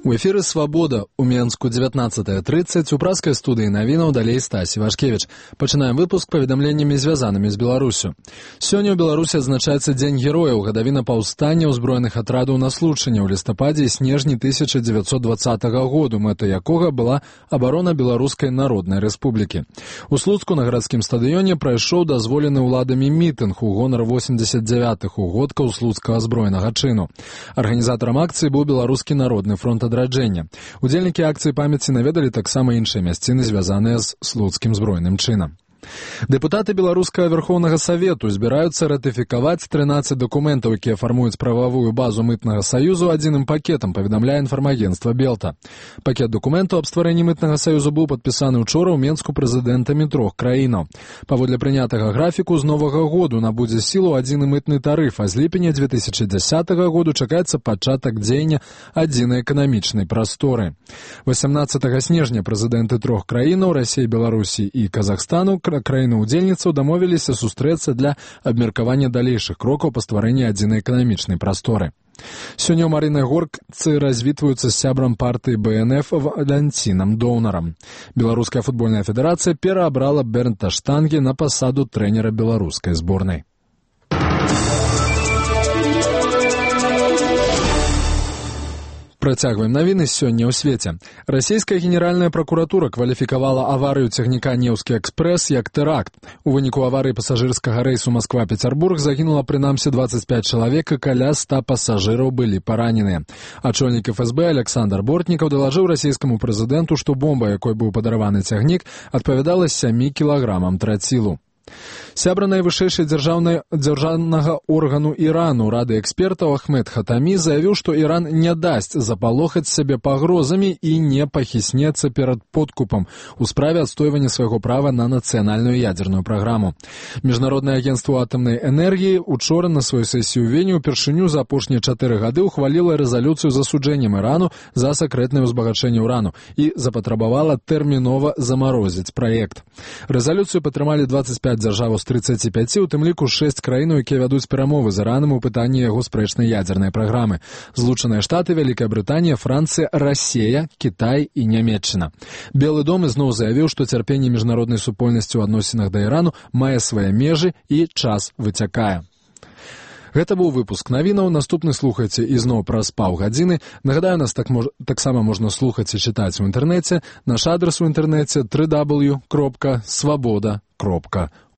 У эфіры «Свабода» у Менску 19:30, у праскай студыі навінаў далей Стасі Вашкевіч. Пачынаем выпуск паведамленнямі, звязанымі з Беларусю. Сёння ў Беларусі адзначаецца Дзень герояў, гадавіна паўстання ўзброеных атрадаў на Случыне ў лістападзе і снежні 1920 году, мэтай якога была абарона Беларускай Народнай Рэспублікі. У Слуцку на гарадскім стадыёне прайшоў дазволены ўладамі мітынг у гонар 89-х угодкаў слуцкага збройнага чыну. Арганізатарам акцыі быў Беларускі народны фронт адраджэння. Удзельнікі акцыі памяці наведалі таксама іншыя мясціны, звязаныя з слуцкім збройным чынам. Дэпутаты Беларускага Верхоўнага Савету збіраюцца ратыфікаваць 13 дакументаў, якія фармуюць прававую базу мытнага саюзу адзіным пакетам, паведамляе інфармагенцтва Белта. Пакет дакументаў аб стварэнні мытнага саюзу быў падпісаны ўчора ў Менску прэзідэнтамі 3 краінаў. Паводле прынятага графіку, з новага году набудзе сілу адзіны мытны тарыф, а з ліпеня 2010 году чакаецца пачатак дзеяння адзінай эканамічнай прасторы. 18 снежня прэзідэнты 3 краінаў Расіі, Беларусі і Казахстану краіны-удзельніцаў дамовіліся сустрэцца для абмеркавання далейшых крокаў па стварэнні адзінай эканамічнай прасторы. Сёння ў Марынай Горцы развітваюцца з сябрам партыі БНФ Валянцінам Доўнарам. Беларуская футбольная федэрацыя пераабрала Бернта Штанге на пасаду трэнера беларускай зборнай. Працягваем навіны сёння ў свеце. Расійская генеральная пракуратура кваліфікавала аварыю цягніка «Неўскі экспрэс» як тэракт. У выніку аварыі пасажырскага рэйсу Масква-Пецярбург загінула прынамсі 25 чалавек, і каля 100 пасажыраў былі параненыя. Ачольнік ФСБ Александр Бортнікаў далажыў расійскаму прэзідэнту, што бомба, якой быў падараваны цягнік, адпавядала 7 кілаграмам трацілу. Сябра найвышэйшай дзяржаўнага органу Ірану, рады экспертаў Ахмед Хатамі, заявіў, што Іран не дасць запалохаць сябе пагрозамі і не пахіснецца перад подкупам у справе адстойвання свайго права на нацыянальную ядзерную праграму. Міжнароднае агенцтва атамнай энергіі учора на сваёй сесіі ў Вені ўпершыню за апошнія 4 гады ўхваліла рэзалюцыю з асуджэннем Ірану за сакрэтнае ўзбагачэнне ўрану і запатрабавала тэрмінова замарозіць праект. Рэзалюцыю падтрымалі 25 дзяржаў з 35, у тым ліку 6 краінаў, якія вядуць перамовы з Іранам у пытанні яго спрэчнай ядзернай праграмы. Злучаныя Штаты, Вялікая Брытанія, Францыя, Расія, Кітай і Нямецчына. Белы дом ізноў заявіў, што цярпенне міжнароднай супольнасці ў адносінах да Ірану мае свае межы і час выцякае. Гэта быў выпуск навінаў. Наступны слухайце ізноў праз паўгадзіны. Нагадаю, нас таксама можна слухаць і чытаць у інтэрнэце. Наш адрас у інтэрнэце www.swaboda.org.